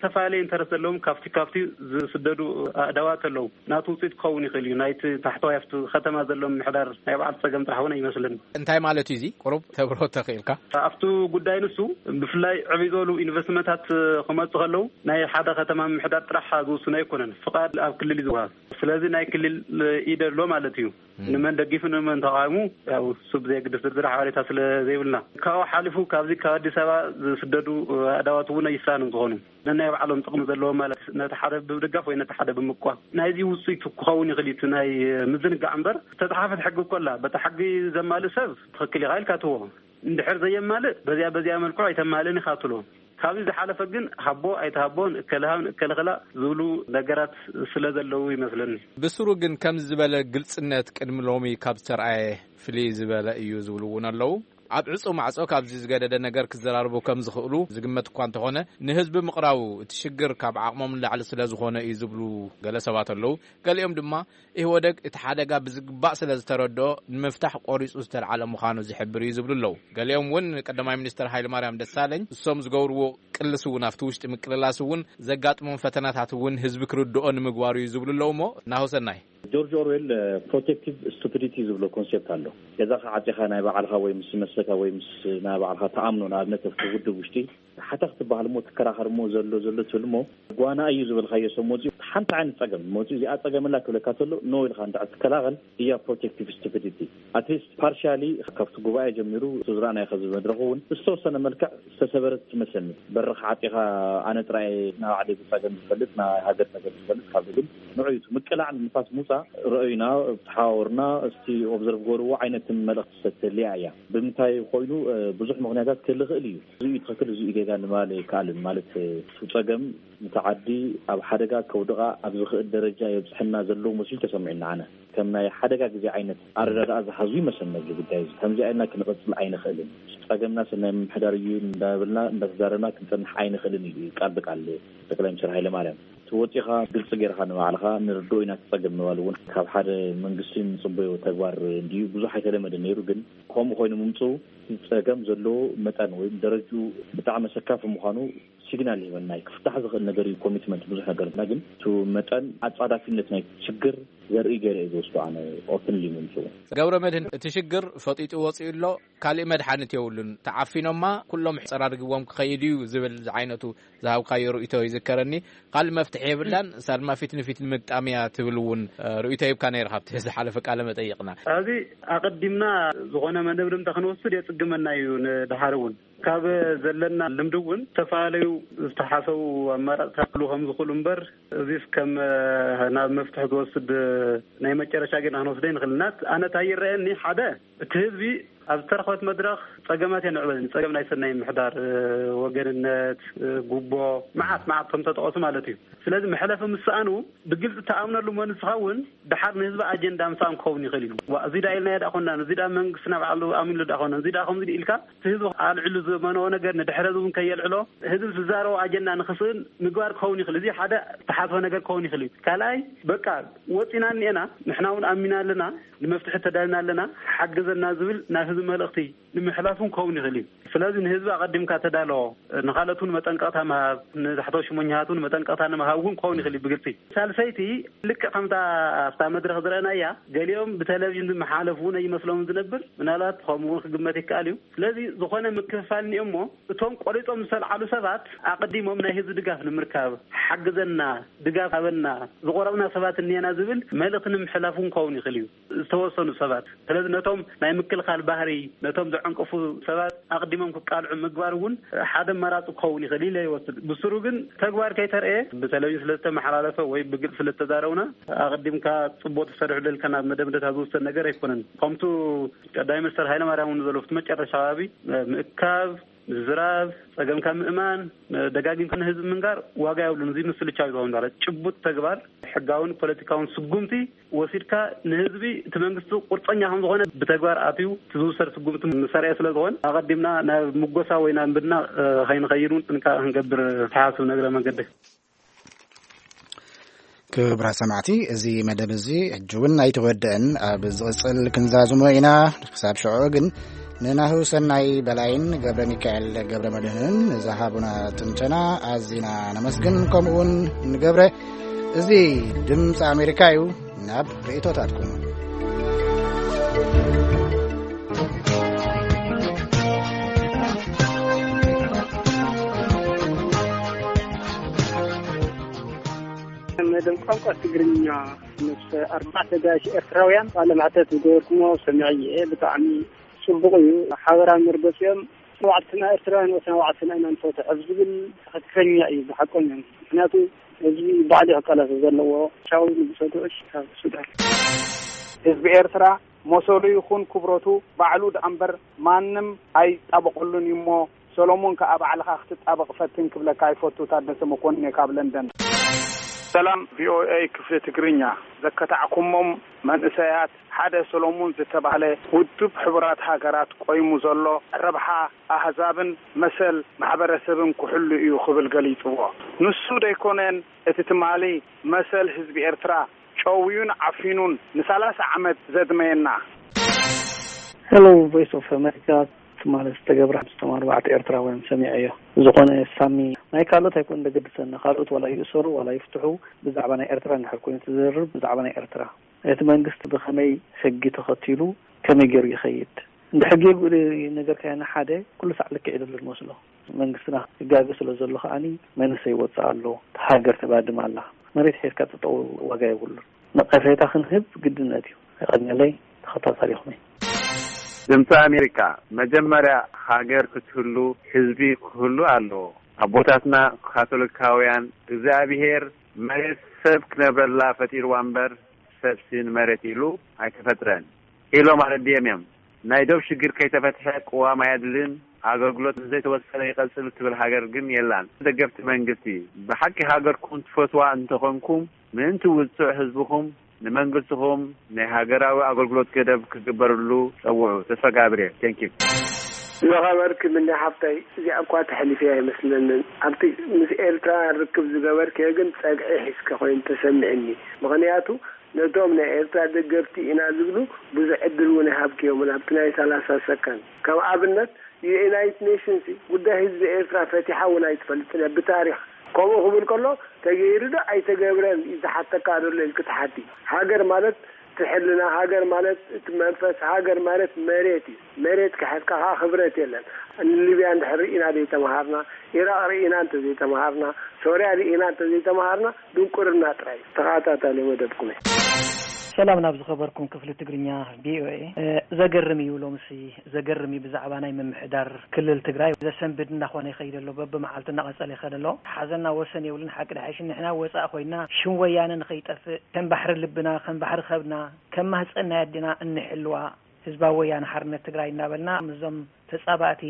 ዝተፈላለየ ኢንተረስት ዘለዎም ካብቲ ካብቲ ዝስደዱ ኣእዳዋት ኣለዉ። ናቱ ውፅኢት ክኸውን ይኽእል እዩ። ናይቲ ታሕተዋይ ኣብቲ ከተማ ዘሎ ምሕዳር ናይ በዓል ፀገም ጥራሕ እውን ኣይመስልን። እንታይ ማለት እዩ? እዚ ቁሩብ ተብሮ ተኽእልካ? ኣብቲ ጉዳይ ንሱ ብፍላይ ዕብይ ዝበሉ ኢንቨስትመንታት ክመፁ ከለዉ ናይ ሓደ ከተማ ምሕዳር ጥራሕ ዝውስኖ ኣይኮነን። ፍቓድ ኣብ ክልል እዩ ዝወሃብ። ስለዚ ናይ ክልል ኢደ ኣሎ ማለት እዩ። ንመን ደጊፉ ንመን ተቃውሙ፣ ያው እሱ ብዘየግድስ ዝርዝር ሓበሬታ ስለ ዘይብልና፣ ካብኡ ሓሊፉ ካብዚ ካብ ኣዲስ ኣበባ ዝስደዱ ኣእዳዋት እውን ኣይስራን ዝኾኑ፣ ነናይ ባዕሎም ጥቕሚ ዘለዎም ማለት፣ ነቲ ሓደ ብምድጋፍ ወይ ነቲ ሓደ ብምቋም። ናይዚ ውፅኢት ክኸውን ይኽእል እዩ፣ እቲ ናይ ምዝንጋዕ እምበር ዝተፅሓፈት ሕጊ እኮ ኣላ። በታ ሕጊ ዘማልእ ሰብ ትኽክል ኢኻ ኢልካ ትዎ። እንድሕር ዘየማልእ በዚያ በዚያ መልክዑ ኣይተማልእን ኢኻ ትብሎ። ካብዚ ዝሓለፈ ግን ሃቦ ኣይትሃቦን፣ እከለ ሃብ እከለ ክላእ ዝብሉ ነገራት ስለ ዘለዉ ይመስለኒ። ብስሩ ግን ከምዚ ዝበለ ግልጽነት ቅድሚ ሎሚ ካብ ዝተርኣየ ፍልይ ዝበለ እዩ ዝብሉ እውን ኣለዉ። ኣብ ዕጹው ማዕጾ ካብዚ ዝገደደ ነገር ክዘራርቡ ከም ዝኽእሉ ዝግመት እኳ እንተኾነ፣ ንህዝቢ ምቕራቡ እቲ ሽግር ካብ ዓቕሞም ንላዕሊ ስለ ዝኾነ እዩ ዝብሉ ገለ ሰባት ኣለዉ። ገሊኦም ድማ ኢህወደግ እቲ ሓደጋ ብዝግባእ ስለ ዝተረድኦ ንምፍታሕ ቆሪጹ ዝተልዓለ ምዃኑ ዝሕብር እዩ ዝብሉ ኣለዉ። ገሊኦም እውን ቀዳማይ ሚኒስትር ሃይለማርያም ደሳለኝ እሶም ዝገብርዎ ቅልስ እውን ኣብቲ ውሽጢ ምቅልላስ እውን ዘጋጥሞም ፈተናታት እውን ህዝቢ ክርድኦ ንምግባሩ እዩ ዝብሉ ኣለዉ። እሞ ናሆሰናይ። ጆርጅ ኦርዌል ፕሮቴክቲቭ ስቱፒዲቲ ዝብሎ ኮንሴፕት ኣሎ። ገዛኻ ዓፂኻ ናይ ባዕልኻ ወይ ምስ መሰልካ ወይ ምስ ናይ ባዕልኻ ተኣምኖ፣ ንኣብነት ኣብቲ ውድብ ውሽጢ ሓታ ክትበሃል እሞ ትከራኸር እሞ ዘሎ ዘሎ ትብል እሞ ጓና እዩ ዝበልካዮ ሰብ መፂኡ ሓንቲ ዓይነት ፀገም መፂኡ እዚኣ ፀገም ኣላ ክብለካ ተሎ ኖ ኢልካ እንድሕር ትከላኸል እያ ፕሮቴክቲቭ ስቱፒዲቲ። ኣትሊስት ፓርሻሊ ካብቲ ጉባኤ ጀሚሩ እቲ ዝረኣናዮ ከዚ መድረኹ እውን ዝተወሰነ መልክዕ ዝተሰበረት ትመስለኒ። በርኻ ዓፂኻ ኣነ ጥራይ ናይ ባዕለይ ፀገም ዝፈልጥ ናይ ሃገር ፀገም ዝፈልጥ ካብ ግን ንዑ እዩ ምቅላዕ ንንፋስ ምውፃእ ረኣዩና ተሓዋወርና እስቲ ኦብዘርቭ ገርዎ ዓይነት መልእኽቲ ሰተልያ እያ። ብምንታይ ኮይኑ ብዙሕ ምኽንያታት ክህል ይኽእል እዩ። እዚ እዩ ትኽክል፣ እዚ እዩ ጌጋ ንምባል ኣይከኣልን። ማለት እቲ ጸገም ነታ ዓዲ ኣብ ሓደጋ ከውድቓ ኣብ ዝኽእል ደረጃ የብጽሐና ዘሎ መሲሉ ተሰሚዑና። ኣነ ከም ናይ ሓደጋ ግዜ ዓይነት ኣረዳድኣ ዝሓዙ ይመስለኒ ኣብዚ ጉዳይ እዚ። ከምዚኣ ኢልና ክንቕጽል ኣይንኽእልን። ጸገምና ሰናይ ምምሕዳር እዩ እንዳበልና እንዳተዛረብና ክንጸንሕ ኣይንኽእልን እዩ ቃል ብቃል ጠቅላይ ሚኒስትር ሃይለማርያም። እቲ ወጺኻ ግልጺ ጌርካ ንባዕልኻ ንርድኦ ኢና እቲ ጸገም ምባል እውን ካብ ሓደ መንግስቲ ንጽበዮ ተግባር እንድዩ። ብዙሕ ኣይተለመደ ነይሩ፣ ግን ከምኡ ኮይኑ ምምጽኡ እቲ ጸገም ዘለዎ መጠን ወይ ደረጅኡ ብጣዕሚ ኣሰካፊ ምዃኑ ሲግናል ይህበና እዩ። ክፍታሕ ዝኽእል ነገር እዩ፣ ኮሚትመንት ብዙሕ ነገር እና ግን እቲ መጠን ኣጻዳፊነት ናይ ሽግር ዘርኢ ገይረ እዩ ዝወስዶ ኣነ ኦፕንሊ ምምጽኡ። ገብረ መድህን፣ እቲ ሽግር ፈጢጡ ወጺኡ ኣሎ፣ ካልእ መድሓኒት የብሉን፣ ተዓፊኖማ ኩሎም ጸራርግዎም ክኸይድ እዩ ዝብል ዝዓይነቱ ዝሃብካዮ ርእይቶ ይዝከረኒ። ካልእ መፍትሒ የብላን፣ ሳልማ ፊት ንፊት ንምግጣም እያ ትብል እውን ርእይቶ ሂብካ ነይርካ ኣብቲ ዝሓለፈ ቃለ መጠይቕና። እዚ ኣቐዲምና ዝኾነ መደምደምታ ክንወስድ የጽግመና እዩ። ንድሓር እውን ካብ ዘለና ልምዲ እውን ዝተፈላለዩ ዝተሓሰቡ ኣማራፅታት ክህልዉ ከም ዝኽእሉ እምበር፣ እዚስ ከም ናብ መፍትሒ ዝወስድ ናይ መጨረሻ ጌና ክንወስደ ንኽእል ኢና። ኣነ እንታይ ይረኣየኒ፣ ሓደ እቲ ህዝቢ ኣብ ዝተረኸበት መድረኽ ጸገማት እየን ንዕበ፣ ጸገም ናይ ሰናይ ምሕዳር፣ ወገንነት፣ ጉቦ፣ መዓት መዓት ከም ተጠቐሱ ማለት እዩ። ስለዚ መሕለፊ ምስ ሰኣኑ ብግልጺ ተኣምነሉ መን ዝኸውን ድሓር ንህዝቢ ኣጀንዳ ምሳን ክኸውን ይኽእል እዩ። ዋ፣ እዚ ዳ ኢልና ዳ ኮና፣ እዚ ዳ መንግስትና ባዕሉ ኣሚሉ ዳ ኮና፣ እዚ ዳ ከምዚ ኢልካ እቲ ህዝቢ ኣልዕሉ ዝመነዎ ነገር ንድሕረ እውን ከየልዕሎ ህዝቢ ዝዛረቦ ኣጀንዳ ንኽስእን ምግባር ክኸውን ይኽእል። እዚ ሓደ ዝተሓስበ ነገር ክኸውን ይኽእል እዩ። ካልኣይ በቃ ወፂና እኒኤና፣ ንሕና እውን ኣሚና ኣለና፣ ንመፍትሒ ተዳልና ኣለና፣ ሓግዘና ዝብል ናብ ህዝቢ መልእኽቲ ንምሕላፍ እውን ክኸውን ይኽእል እዩ። ስለዚ ንህዝቢ ኣቐዲምካ ተዳሎ፣ ንኻልኦት እውን መጠንቀቕታ ምሃብ፣ ንታሕተው ሽሞኛታት እውን መጠንቀቕታ ንምሃብ እውን ክኸውን ይኽእል እዩ ብግልፂ። ሳልሰይቲ ልክዕ ከምታ ኣብታ መድረኽ ዝረኣናያ ገሊኦም ብቴሌቪዥን ዝመሓለፉ እውን ኣይመስሎምን ዝነብር፣ ምናልባት ከምኡ እውን ክግመት ይከኣል እዩ። ስለዚ ዝኾነ ምክፍፋል እኒኦሞ እቶም ቆሪጾም ዝተልዓሉ ሰባት ኣቐዲሞም ናይ ህዝቢ ድጋፍ ንምርካብ ሓግዘና፣ ድጋፍ ሃበና፣ ዝቆረብና ሰባት እኒአና ዝብል መልእኽቲ ንምሕላፍ እውን ክኸውን ይኽእል እዩ። ዝተወሰኑ ሰባት። ስለዚ ነቶም ናይ ምክልኻል ባህሪ፣ ነቶም ዘዕንቅፉ ሰባት ኣቕዲሞም ክቃልዑ ምግባር እውን ሓደ ኣማራጺ ክኸውን ይኽእል ኢለ ይወስድ። ብስሩ ግን ተግባር ከይተርኤ ብቴሌቪዥን ስለ ዝተመሓላለፈ ወይ ብግልጺ ስለ ዝተዛረቡና ኣቕዲምካ ጽቡቕ ተሰሪሑ ደልካ ናብ መደምደታ ዝውሰድ ነገር ኣይኮነን። ከምቱ ቀዳማይ ሚኒስተር ሃይለማርያም እውን ዘሎ ኣብቲ መጨረሻ ከባቢ ምእካብ፣ ምዝራብ፣ ጸገምካ ምእማን፣ ደጋጊምካ ንህዝቢ ምንጋር ዋጋ የብሉን። እዚ ምስልቻው ዝኸውን ዳለ ጭቡጥ ተግባር፣ ሕጋውን ፖለቲካውን ስጉምቲ ወሲድካ ንህዝቢ እቲ መንግስቲ ቁርጸኛ ከም ዝኾነ ብተግባር ኣትዩ እቲ ዝውሰድ ስጉምቲ ምሰርኤ ስለ ዝኾነ ኣቐዲምና ናብ ምጎሳ ወይ ናብ ምድና ከይንኸይድ እውን ጥንቃቐ ክንገብር ተሓስብ ነግረ መንገዲ። ክቡራት ሰማዕቲ፣ እዚ መደብ እዚ ሕጂ እውን ኣይተወድአን። ኣብ ዝቕጽል ክንዛዝሞ ኢና። ክሳብ ሽዑ ግን ንናሁ ሰናይ በላይን ገብረ ሚካኤል ገብረ መድህንን ንዝሃቡና ትንተና ኣዚና ነመስግን። ከምኡውን ንገብረ፣ እዚ ድምፂ ኣሜሪካ እዩ። ናብ ርእቶታትኩም። መደብ ቋንቋ ትግርኛ ምስ ኣርባዕተ ጋሽ ኤርትራውያን ቃለ መሕተት ዝገበርኩሞ ሰሚዐ እየ። ብጣዕሚ ጽቡቕ እዩ። ሓበራዊ መርገጺኦም ንባዕልትና ኤርትራውያን ወስና ባዕልትና ኢና ንፈትሕ ኣብ ዝብል ትኽክለኛ እዩ ብሓቆኛ። ምክንያቱ ህዝቢ ባዕሉ ክቃለስ ዘለዎ ሻው ንጉሰ ጉዕሽ ካብ ሱዳን። ህዝቢ ኤርትራ መሰሉ ይኹን ክብረቱ ባዕሉ ደኣ እምበር ማንም ኣይጣበቐሉን እዩ እሞ፣ ሰሎሞን ከኣ ባዕልኻ ክትጣበቕ ፈትን ክብለካ ይፈቱ። ታደሰ መኮንን እየ ካብ ለንደን። ሰላም ቪኦኤ ክፍሊ ትግርኛ። ዘከታዕኩሞም መንእሰያት ሓደ ሰሎሙን ዝተባህለ ውድብ ሕቡራት ሃገራት ቆይሙ ዘሎ ረብሓ ኣህዛብን መሰል ማሕበረሰብን ክሕሉ እዩ ክብል ገሊጽዎ። ንሱ ደይኮነን እቲ ትማሊ መሰል ህዝቢ ኤርትራ ጨውዩን ዓፊኑን ንሳላሳ ዓመት ዘድመየና። Hello Voice of America። ትማሊ ዝተገብረ ሓምስቶም ኣርባዕተ ኤርትራውያን ሰሚዐዮ። ዝኾነ ሳሚ ናይ ካልኦት ኣይኮን ዘገድሰና፣ ካልኦት ዋላ ይእሰሩ ዋላ ይፍትሑ፣ ብዛዕባ ናይ ኤርትራ እንድሕር ኮይኑ ትዝርብ ብዛዕባ ናይ ኤርትራ እቲ መንግስቲ ብኸመይ ሕጊ ተኸቲሉ ከመይ ገይሩ ይኸይድ? እንድሕር ገይሩ ነገር ካየና ሓደ ኩሉ ሳዕ ልክዕ ይደሉ ዝመስሎ መንግስትና ይጋገ ስለ ዘሎ ከዓኒ መንእሰይ ይወፅእ ኣሎ። ሃገር ተባድም ኣላ። መሬት ሒዝካ ጠጠው ዋጋ የብሉን። ነቐፌታ ክንህብ ግድነት እዩ። የቐንየለይ። ተኸታታሊኹም እየ። ድምፂ ኣሜሪካ፣ መጀመርያ ሃገር ክትህሉ ህዝቢ ክህሉ ኣለዎ። ኣቦታትና ካቶሊካውያን እግዚኣብሄር መሬት ሰብ ክነብረላ ፈጢርዋ እምበር ሰብሲ ንመሬት ኢሉ ኣይተፈጥረን ኢሎም ኣረዲኦም እዮም። ናይ ዶብ ሽግር ከይተፈትሐ ቅዋም ኣየድልን፣ ኣገልግሎት ንዘይተወሰነ ይቐጽል እትብል ሃገር ግን የላን። ደገፍቲ መንግስቲ፣ ብሓቂ ሃገርኩም ትፈትዋ እንተኾንኩም ምእንቲ ውጹዕ ህዝብኹም ንመንግስትኹም ናይ ሃገራዊ ኣገልግሎት ገደብ ክግበርሉ ጸውዑ። ተስፋ ጋብርኤል። Thank you። ዝኸበርኪ ምኒ ሓብታይ፣ እዚኣ እኳ ተሕሊፈያ ኣይመስለንን። ኣብቲ ምስ ኤርትራውያን ርክብ ዝገበርክዮ ግን ጸግዒ ሒዝኪ ኮይኑ ተሰሚዕኒ። ምኽንያቱ ነቶም ናይ ኤርትራ ደገፍቲ ኢና ዝብሉ ብዙሕ ዕድል እውን ኣይሃብክዮምን። ኣብቲ ናይ ሰላሳ ሰከንድ ከም ኣብነት ዩናይትድ ኔሽንስ ጉዳይ ህዝቢ ኤርትራ ፈቲሓ እውን ኣይትፈልጥን እያ ብታሪኽ። ከምኡ ክብል ከሎ ተገይሩ ዶ ኣይተገብረን እዩ ዝሓተካ ዘሎ ኢልኪ ትሓቲ። ሃገር ማለት እቲ ሕልና፣ ሃገር ማለት እቲ መንፈስ፣ ሃገር ማለት መሬት እዩ። መሬት ክሕዝካ ከዓ ክብረት የለን። ንሊብያ እንድሕር ርኢና ዘይተምሃርና፣ ኢራቕ ርኢና እንተዘይተምሃርና፣ ሶርያ ርኢና እንተዘይተምሃርና ድንቁርና ጥራይ እዩ። ተኸታታሊ መደብኩም እየ። ሰላም ናብ ዝኸበርኩም ክፍሊ ትግርኛ ቪኦኤ። ዘገርም እዩ ሎምሲ ዘገርም እዩ። ብዛዕባ ናይ ምምሕዳር ክልል ትግራይ ዘሰንብድ እናኾነ ይኸይድ ኣሎ። በብመዓልቱ እናቐጸለ ይኸድ ኣሎ። ሓዘንና ወሰን የብሉን። ሓቂ ድሓይሽ ንሕና ወፃእ ኮይና ሽም ወያነ ንኸይጠፍእ ከም ባሕሪ ልብና ከም ባሕሪ ከብድና ከም ማህፀን ናይ ኣዴና እንሕልዋ ህዝባዊ ወያነ ሓርነት ትግራይ እናበልና ምስዞም ተፃባእቲ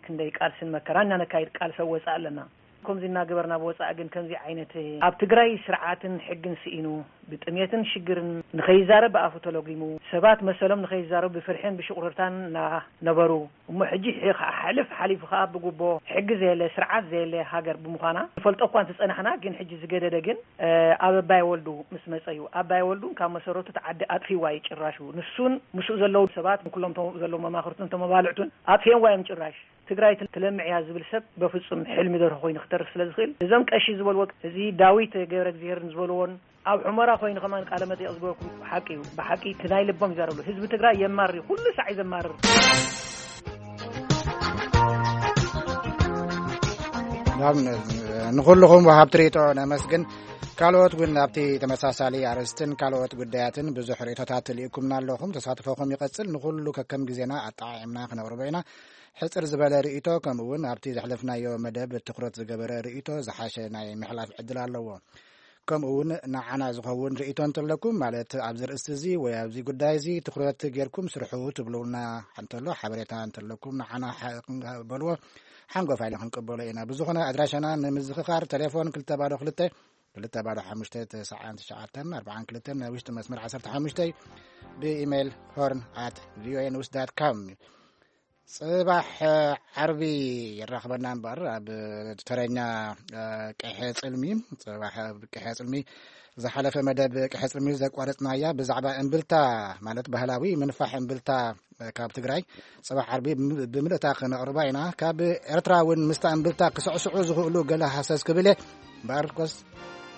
ክንደይ ቃልስን መከራን እናነካይድ ቃልሲ ወፃእ ኣለና። ከምዚ እናገበርና ብወፃኢ ግን ከምዚ ዓይነት ኣብ ትግራይ ስርዓትን ሕግን ስኢኑ ብጥሜትን ሽግርን ንኸይዛረብ ብኣፉ ተለጒሙ ሰባት መሰሎም ንኸይዛረቡ ብፍርሕን ብሽቑርርታን እናነበሩ እሞ ሕጂ ከዓ ሕልፍ ሓሊፉ ከዓ ብጉቦ ሕጊ ዘየለ ስርዓት ዘየለ ሃገር ብምዃና ንፈልጦ እኳ እንተፀናሕና ግን ሕጂ ዝገደደ ግን ኣብ ኣባይ ወልዱ ምስ መፀ እዩ። ኣባይ ወልዱ ካብ መሰረቱ እቲ ዓዲ ኣጥፊዋ እዩ ጭራሹ ንሱን ምስኡ ዘለዉ ሰባት ኩሎም ዘለዉ መማኽርቱን ተመባልዕቱን ኣጥፊኦምዋ እዮም ጭራሽ። ትግራይ ትለምዕ እያ ዝብል ሰብ በፍፁም ሕልሚ ደርሆ ኮይኑ ክተርፍ ስለ ዝኽእል እዞም ቀሺ ዝበልዎ እዚ ዳዊት ገብረ እግዚኣብሔር ዝበልዎን ኣብ ሑመራ ኮይኑ ከማን ቃለ መጠይቕ ዝገበርኩም ሓቂ እዩ። ብሓቂ እቲ ናይ ልቦም ይዛረብሉ ህዝቢ ትግራይ የማርር እዩ። ኩሉ ሳዕ እዩ ዘማርር። ንኹልኹም ወሃብቲ ርእይቶ ነመስግን። ካልኦት እውን ኣብቲ ተመሳሳሊ ኣርእስትን ካልኦት ጉዳያትን ብዙሕ ርእይቶታት ልኢኩምና ኣለኹም። ተሳትፎኹም ይቐጽል። ንኹሉ ከከም ግዜና ኣጠዓዒምና ክነቕርቦ ኢና። ሕጽር ዝበለ ርእይቶ ከምኡ እውን ኣብቲ ዘሕለፍናዮ መደብ ትኹረት ዝገበረ ርእይቶ ዝሓሸ ናይ ምሕላፍ ዕድል ኣለዎ። ከምኡ እውን ንዓና ዝኸውን ርእይቶ እንተለኩም ማለት ኣብዚ ርእስቲ እዚ ወይ ኣብዚ ጉዳይ እዚ ትኹረት ጌርኩም ስርሑ ትብሉና እንተሎ ሓበሬታ እንተለኩም ንዓና በልዎ ሓንጎፋ ኢልና ክንቀበሎ ኢና። ብዝኾነ ኣድራሻና ንምዝኽኻር ቴሌፎን ክልተ ባዶ ክልተ ክልተ ባዶ ሓሙሽተ ተስዓን ትሽዓተን ኣርባዓን ክልተን ናይ ውሽጢ መስመር ዓሰርተ ሓሙሽተ ብኢሜይል ሆርን ኣት ቪኦኤ ኒውስ ዳት ካም። ጽባሕ ዓርቢ የራኽበና እምበር ኣብ ተረኛ ቅሐ ጽልሚ ጽባሕ ቅሐ ጽልሚ ዝሓለፈ መደብ ቅሕጽ ሚል ዘቋረጽናያ ብዛዕባ እምብልታ፣ ማለት ባህላዊ ምንፋሕ እምብልታ ካብ ትግራይ፣ ጽባሕ ዓርቢ ብምልእታ ክነቕርባ ኢና። ካብ ኤርትራ እውን ምስታ እምብልታ ክስዕስዑ ዝኽእሉ ገለ ሃሰስ ክብል እየ። እምበኣር ኮስ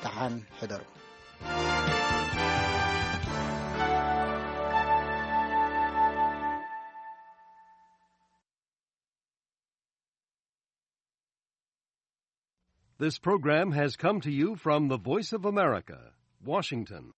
ደሓን ሕደሩ። This program has come to you from the Voice of America, Washington.